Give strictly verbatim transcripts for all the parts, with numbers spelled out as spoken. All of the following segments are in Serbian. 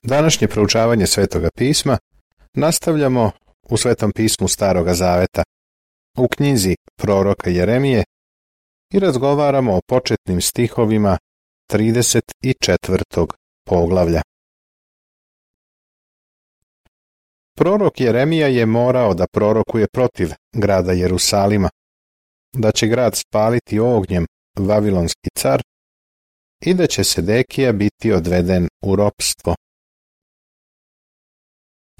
Današnje proučavanje Svetoga pisma nastavljamo u Svetom pismu Staroga zaveta, u knjizi proroka Jeremije, i razgovaramo o početnim stihovima trideset četvrtog poglavlja. Prorok Jeremija je morao da prorokuje protiv grada Jerusalima, da će grad spaliti ognjem vavilonski car i da će Sedekija biti odveden u ropstvo.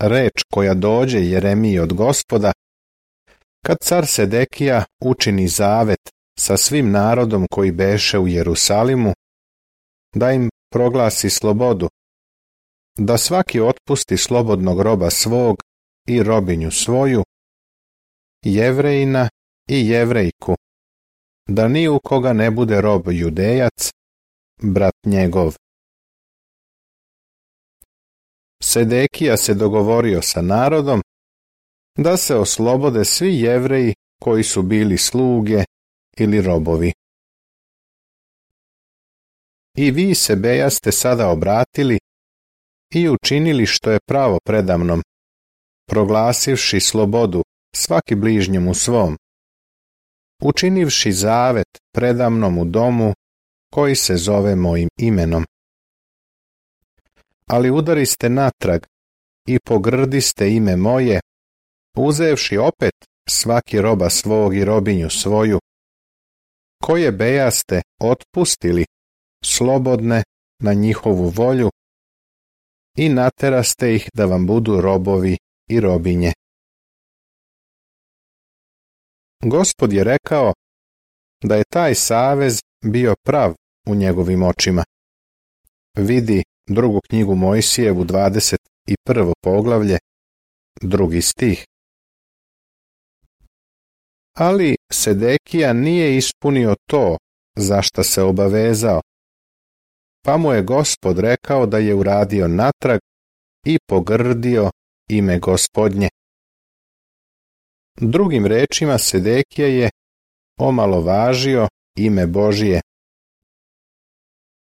Reč koja dođe Jeremiji od Gospoda, kad car Sedekija učini zavet sa svim narodom koji beše u Jerusalimu, da im proglasi slobodu, da svaki otpusti slobodnog roba svog i robinju svoju, Jevrejina i Jevrejku, da ni u koga ne bude rob Judejac, brat njegov. Sedekija se dogovorio sa narodom da se oslobode svi Jevreji koji su bili sluge ili robovi. I vi se bejaste sada obratili i učinili što je pravo predamnom, proglasivši slobodu svaki bližnjemu svom, učinivši zavet predamnom u domu koji se zove mojim imenom. Ali udariste natrag i pogrdiste ime moje, uzevši opet svaki roba svog i robinju svoju, koje bejaste otpustili slobodne na njihovu volju i nateraste ih da vam budu robovi i robinje. Gospod je rekao da je taj savez bio prav u njegovim očima. Vidi drugu knjigu Mojsijevu, dvadeset prvo poglavlje, drugi stih. Ali Sedekija nije ispunio to za šta se obavezao, pa mu je Gospod rekao da je uradio natrag i pogrdio ime Gospodnje. Drugim rečima, Sedekija je omalovažio ime Božije.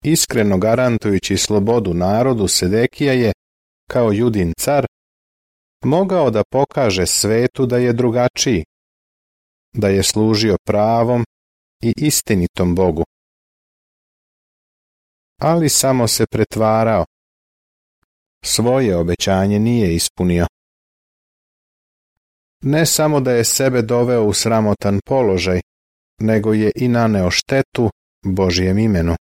Iskreno garantujući slobodu narodu, Sedekija je, kao Judin car, mogao da pokaže svetu da je drugačiji, da je služio pravom i istinitom Bogu. Ali samo se pretvarao. Svoje obećanje nije ispunio. Ne samo da je sebe doveo u sramotan položaj, nego je i naneo štetu Božjem imenu.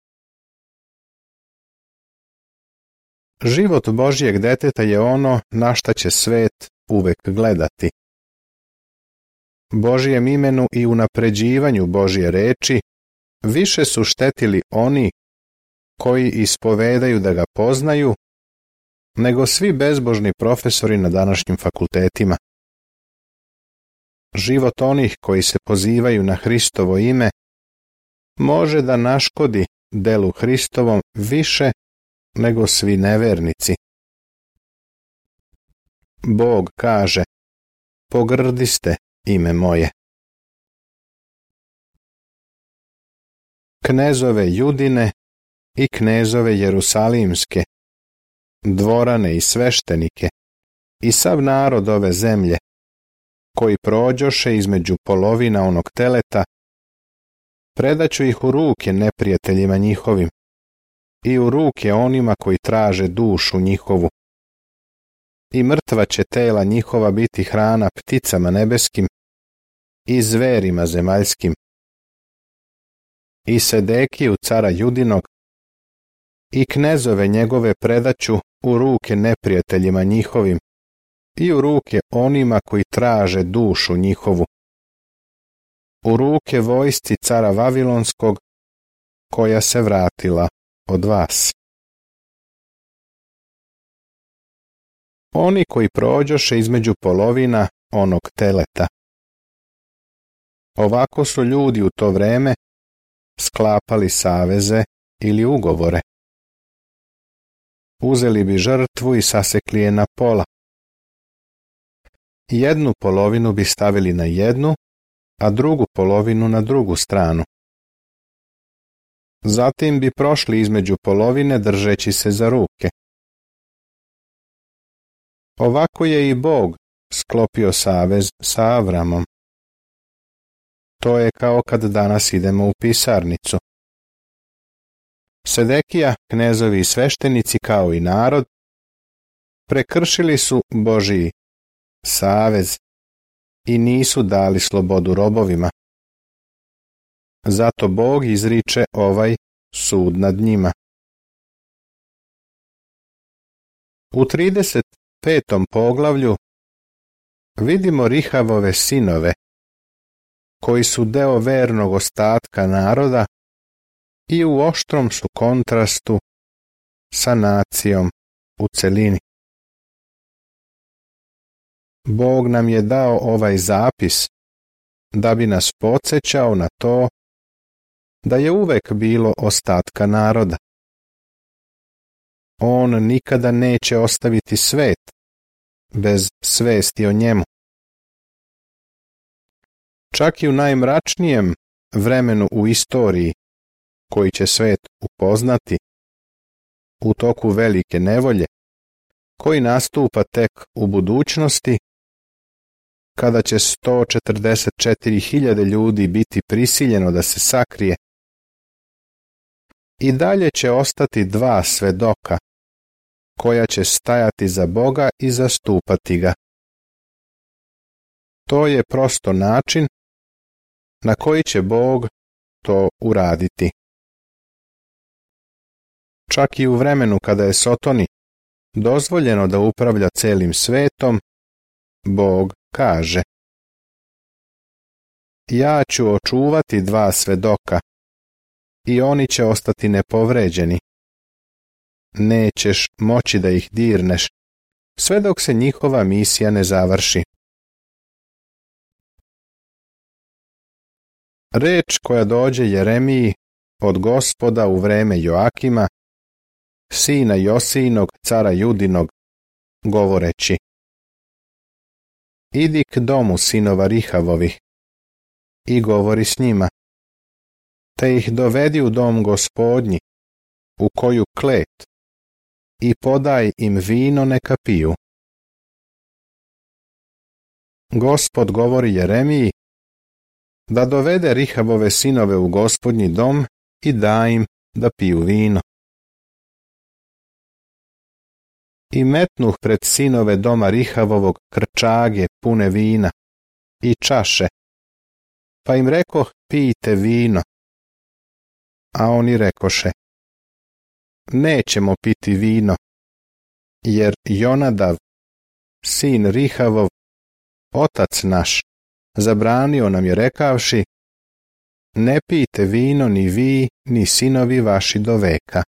Život Božjeg deteta je ono na šta će svet uvek gledati. Božjem imenu i unapređivanju Božje reči više su štetili oni koji ispovedaju da ga poznaju, nego svi bezbožni profesori na današnjim fakultetima. Život onih koji se pozivaju na Hristovo ime može da naškodi delu Hristovom više nego svi nevernici. Bog kaže: pogrdiste ime moje. Knezove Judine i knezove Jerusalimske, dvorane i sveštenike i sav narod ove zemlje, koji prođoše između polovina onog teleta, predaću ih u ruke neprijateljima njihovim i u ruke onima koji traže dušu njihovu. I mrtva će tela njihova biti hrana pticama nebeskim i zverima zemaljskim. I Sedekiju cara Judinog i knezove njegove predaću u ruke neprijateljima njihovim i u ruke onima koji traže dušu njihovu, u ruke vojsci cara Vavilonskog koja se vratila od vas. Oni koji prođoše između polovina onog teleta. Ovako su ljudi u to vreme sklapali saveze ili ugovore. Uzeli bi žrtvu i sasekli je na pola. Jednu polovinu bi stavili na jednu, a drugu polovinu na drugu stranu. Zatim bi prošli između polovine držeći se za ruke. Ovako je i Bog sklopio savez sa Avramom. To je kao kad danas idemo u pisarnicu. Sedekija, knezovi i sveštenici kao i narod prekršili su Božji savez i nisu dali slobodu robovima. Zato Bog izriče ovaj sud nad njima. U trideset petom poglavlju vidimo Rihavove sinove, koji su deo vernog ostatka naroda i u oštrom su kontrastu sa nacijom u celini. Bog nam je dao ovaj zapis da bi nas podsjećao na to da je uvek bilo ostatka naroda. On nikada neće ostaviti svet bez svesti o njemu. Čak i u najmračnijem vremenu u istoriji koji će svet upoznati, u toku velike nevolje, koji nastupa tek u budućnosti, kada će sto četrdeset četiri hiljade ljudi biti prisiljeno da se sakrije, i dalje će ostati dva svedoka, koja će stajati za Boga i zastupati ga. To je prosto način na koji će Bog to uraditi. Čak i u vremenu kada je Sotoni dozvoljeno da upravlja celim svetom, Bog kaže: ja ću očuvati dva svedoka i oni će ostati nepovređeni. Nećeš moći da ih dirneš, sve dok se njihova misija ne završi. Reč koja dođe Jeremiji od Gospoda u vreme Joakima, sina Josijinog, cara Judinog, govoreći: idi k domu sinova Rihavovih i govori s njima, te ih dovedi u dom Gospodnji, u koju klet, i podaj im vino neka piju. Gospod govori Jeremiji da dovede Rihavove sinove u Gospodnji dom i da im da piju vino. I metnuh pred sinove doma Rihavovog krčage pune vina i čaše, pa im rekoh: pijte vino. A oni rekoše: nećemo piti vino, jer Jonadav, sin Rihavov, otac naš, zabranio nam je rekavši: ne pijte vino ni vi, ni sinovi vaši do veka.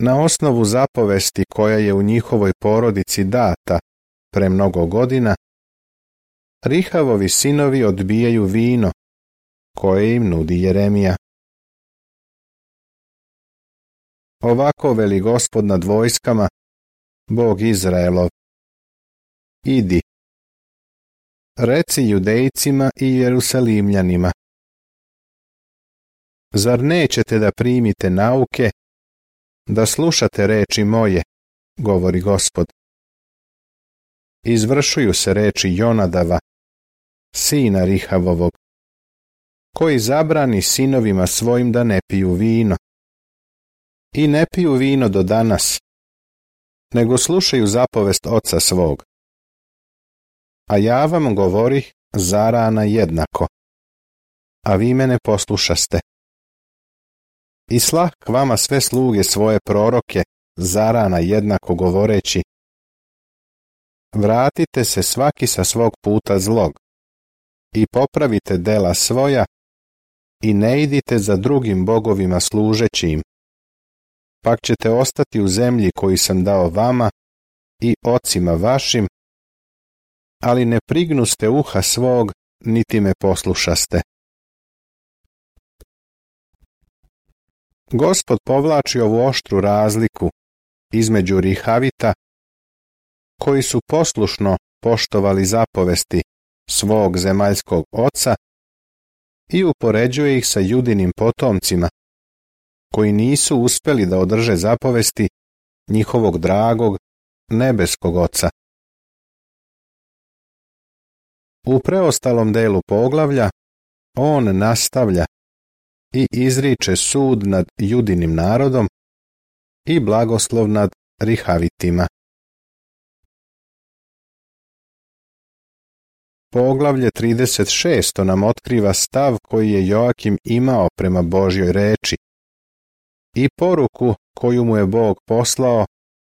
Na osnovu zapovesti koja je u njihovoj porodici data pre mnogo godina, Rihavovi sinovi odbijaju vino koje im nudi Jeremija. Ovako veli Gospod nad vojskama, Bog Izraelov: idi, reci Judejcima i Jerusalimljanima: zar nećete da primite nauke, da slušate reči moje, govori Gospod. Izvršuju se reči Jonadava, sina Rihavovog, koji zabrani sinovima svojim da ne piju vino. I ne piju vino do danas, nego slušaju zapovest oca svog. A ja vam govorih zarana jednako, a vi me ne poslušaste. I slah k vama sve sluge svoje proroke zarana jednako govoreći: vratite se svaki sa svog puta zlog i popravite dela svoja i ne idite za drugim bogovima služeći im, pak ćete ostati u zemlji koju sam dao vama i ocima vašim, ali ne prignuste uha svog, niti me poslušaste. Gospod povlači ovu oštru razliku između Rihavita, koji su poslušno poštovali zapovesti svog zemaljskog oca, i upoređuje ih sa Judinim potomcima, koji nisu uspjeli da održe zapovesti njihovog dragog nebeskog Oca. U preostalom delu poglavlja on nastavlja i izriče sud nad Judinim narodom i blagoslov nad Rihavitima. Poglavlje trideset šest nam otkriva stav koji je Joakim imao prema Božjoj reči i poruku koju mu je Bog poslao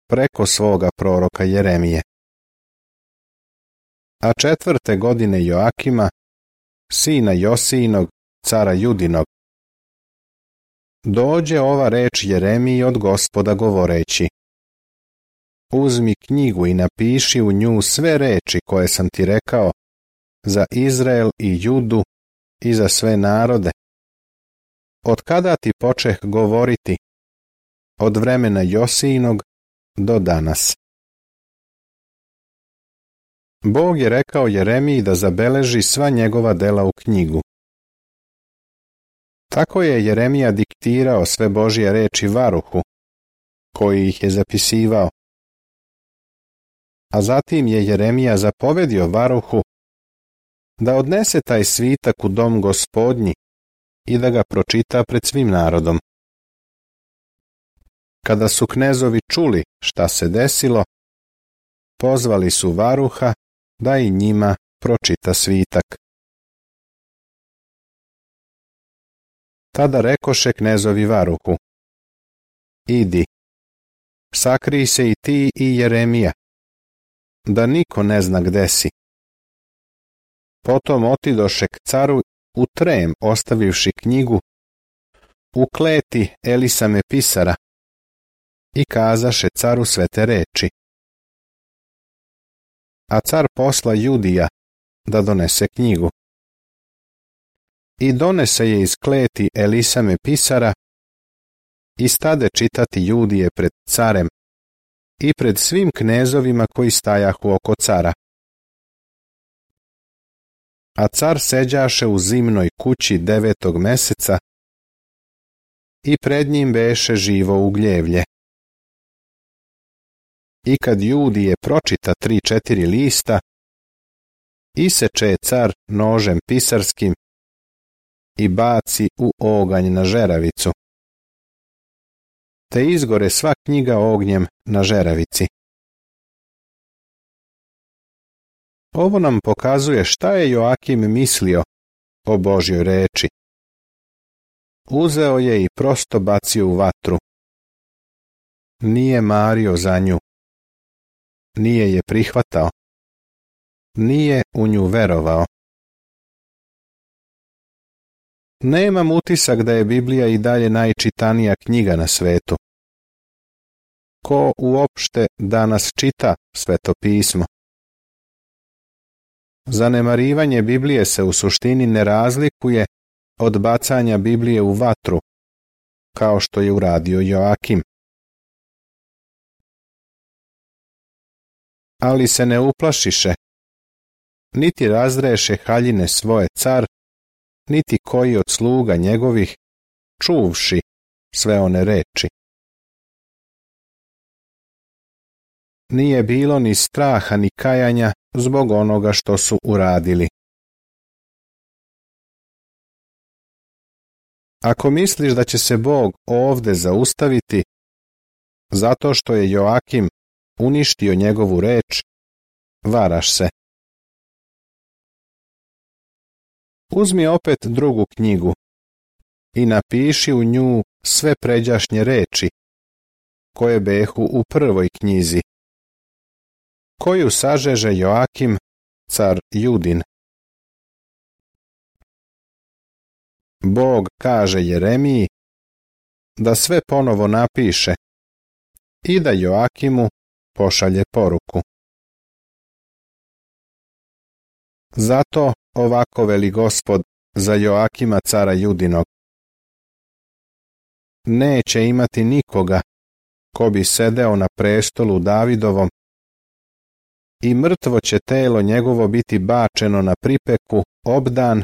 preko svoga proroka Jeremije. A četvrte godine Joakima, sina Josijinog, cara Judinog, dođe ova reč Jeremiji od Gospoda govoreći: uzmi knjigu i napiši u nju sve reči koje sam ti rekao za Izrael i Judu i za sve narode. Od kada ti počeh govoriti? Od vremena Josijinog do danas. Bog je rekao Jeremiji da zabeleži sva njegova dela u knjigu. Tako je Jeremija diktirao sve Božje reči Varuhu, koji ih je zapisivao. A zatim je Jeremija zapovedio Varuhu da odnese taj svitak u dom Gospodnji i da ga pročita pred svim narodom. Kada su knezovi čuli šta se desilo, pozvali su Varuha da i njima pročita svitak. Tada rekoše knezovi Varuhu: idi, sakrij se i ti i Jeremija, da niko ne zna gde si. Potom otidoše k caru u trem, ostavivši knjigu u kleti Elisame pisara, i kazaše caru sve te reči. A car posla Judija da donese knjigu. I donese je iz kleti Elisame pisara i stade čitati Judije pred carem i pred svim knezovima koji stajahu oko cara. A car seđaše u zimnoj kući devetog meseca i pred njim beše živo ugljevlje. I kad Judije pročita tri četiri lista, iseče je car nožem pisarskim i baci u oganj na žeravicu. Te izgore sva knjiga ognjem na žeravici. Ovo nam pokazuje šta je Joakim mislio o Božjoj reči. Uzeo je i prosto bacio u vatru. Nije mario za nju. Nije je prihvatao. Nije u nju verovao. Nemam utisak da je Biblija i dalje najčitanija knjiga na svetu. Ko uopšte danas čita Sveto pismo? Zanemarivanje Biblije se u suštini ne razlikuje od bacanja Biblije u vatru, kao što je uradio Joakim. Ali se ne uplašiše, niti razreše haljine svoje car, niti koji od sluga njegovih, čuvši sve one reči. Nije bilo ni straha ni kajanja zbog onoga što su uradili. Ako misliš da će se Bog ovde zaustaviti, zato što je Joakim uništio njegovu reč, varaš se. Uzmi opet drugu knjigu i napiši u nju sve pređašnje reči, koje behu u prvoj knjizi, koju sažeže Joakim, car Judin. Bog kaže Jeremiji da sve ponovo napiše i da Joakimu pošalje poruku. Zato ovako veli Gospod za Joakima cara Judinog: neće imati nikoga ko bi sedeo na prestolu Davidovom i mrtvo će telo njegovo biti bačeno na pripeku obdan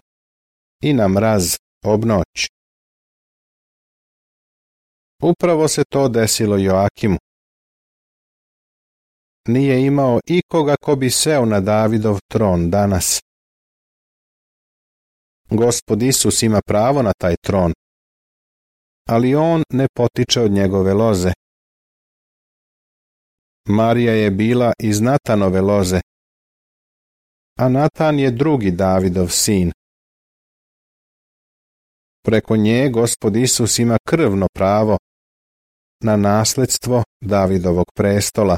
i na mraz obnoć. Upravo se to desilo Joakimu. Nije imao ikoga ko bi seo na Davidov tron danas. Gospod Isus ima pravo na taj tron, ali on ne potiče od njegove loze. Marija je bila iz Natanove loze, a Natan je drugi Davidov sin. Preko nje Gospod Isus ima krvno pravo na nasledstvo Davidovog prestola.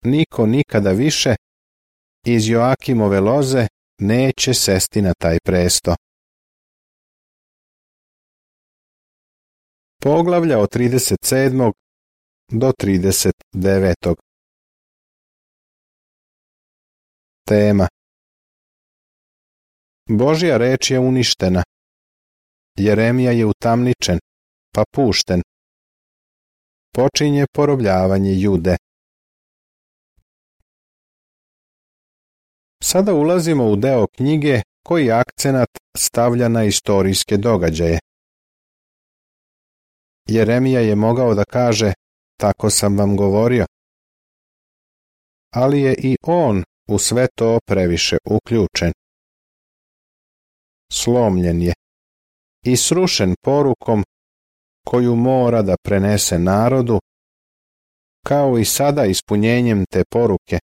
Niko nikada više iz Joakimove loze neće sesti na taj presto. Poglavlja od trideset sedmog do trideset devetog. Tema: Božja reč je uništena. Jeremija je utamničen, pa pušten. Počinje porobljavanje Jude. Sada ulazimo u deo knjige koji akcenat stavlja na istorijske događaje. Jeremija je mogao da kaže, tako sam vam govorio, ali je i on u sve to previše uključen. Slomljen je i srušen porukom koju mora da prenese narodu, kao i sada ispunjenjem te poruke,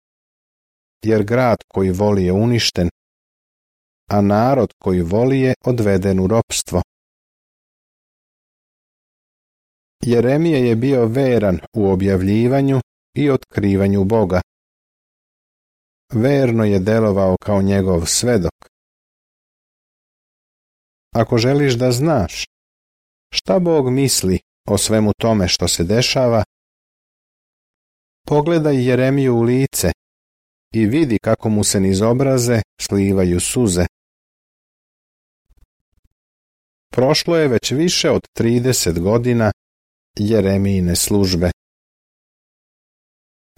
jer grad koji voli je uništen, a narod koji voli je odveden u ropstvo. Jeremija je bio veran u objavljivanju i otkrivanju Boga. Verno je delovao kao njegov svedok. Ako želiš da znaš šta Bog misli o svemu tome što se dešava, pogledaj Jeremiju u lice i vidi kako mu se niz obraze slivaju suze. Prošlo je već više od trideset godina Jeremijine službe.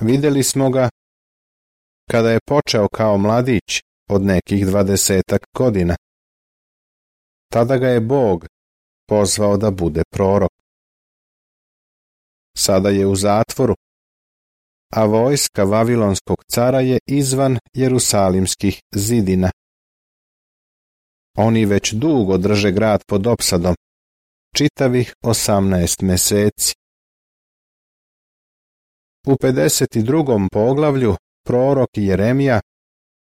Vidjeli smo ga kada je počeo kao mladić od nekih dvadesetak godina. Tada ga je Bog pozvao da bude prorok. Sada je u zatvoru, a vojska Vavilonskog cara je izvan Jerusalimskih zidina. Oni već dugo drže grad pod opsadom, čitavih osamnaest meseci. U pedeset drugom poglavlju prorok Jeremija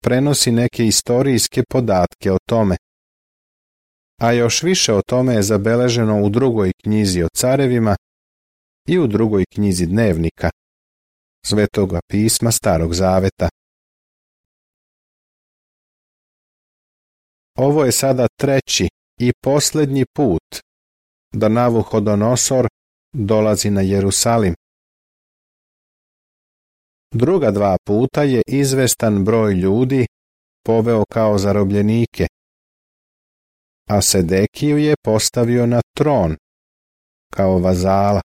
prenosi neke istorijske podatke o tome, a još više o tome je zabeleženo u drugoj knjizi o carevima i u drugoj knjizi dnevnika, Svetoga pisma Starog zaveta. Ovo je sada treći i posljednji put da Navuhodonosor dolazi na Jerusalim. Druga dva puta je izvestan broj ljudi poveo kao zarobljenike, a Sedekiju je postavio na tron kao vazala.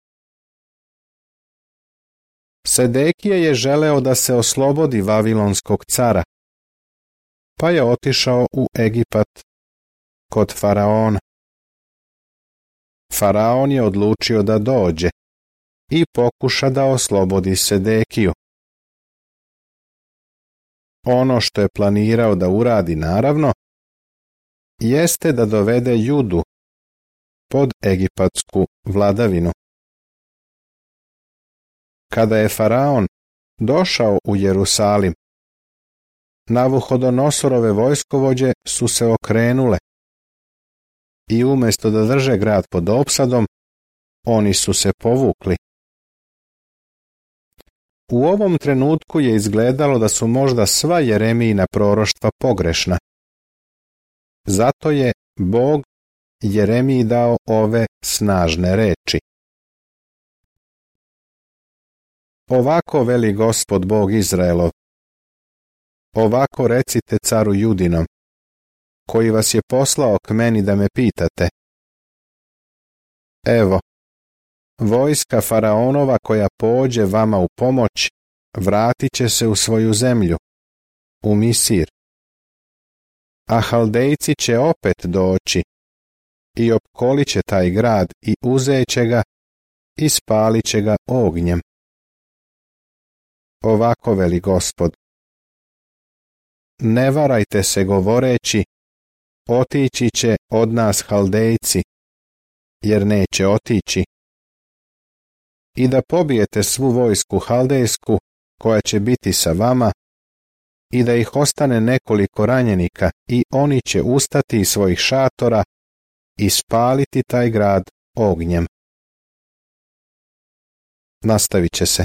Sedekija je želeo da se oslobodi Vavilonskog cara, pa je otišao u Egipat kod faraona. Faraon je odlučio da dođe i pokuša da oslobodi Sedekiju. Ono što je planirao da uradi, naravno, jeste da dovede Judu pod egipatsku vladavinu. Kada je faraon došao u Jerusalim, Navuhodonosorove vojskovođe su se okrenule i umjesto da drže grad pod opsadom, oni su se povukli. U ovom trenutku je izgledalo da su možda sva Jeremijina proroštva pogrešna. Zato je Bog Jeremiji dao ove snažne reči. Ovako veli Gospod Bog Izraelov, ovako recite caru Judinom, koji vas je poslao k meni da me pitate. Evo, vojska faraonova koja pođe vama u pomoć, vratit će se u svoju zemlju, u Misir. A Haldejci će opet doći i opkolit će taj grad i uzet će ga i spalit će ga ognjem. Ovako veli Gospod: ne varajte se govoreći, otići će od nas Haldejci, jer neće otići. I da pobijete svu vojsku Haldejsku koja će biti sa vama, i da ih ostane nekoliko ranjenika, i oni će ustati iz svojih šatora i spaliti taj grad ognjem. Nastavit će se.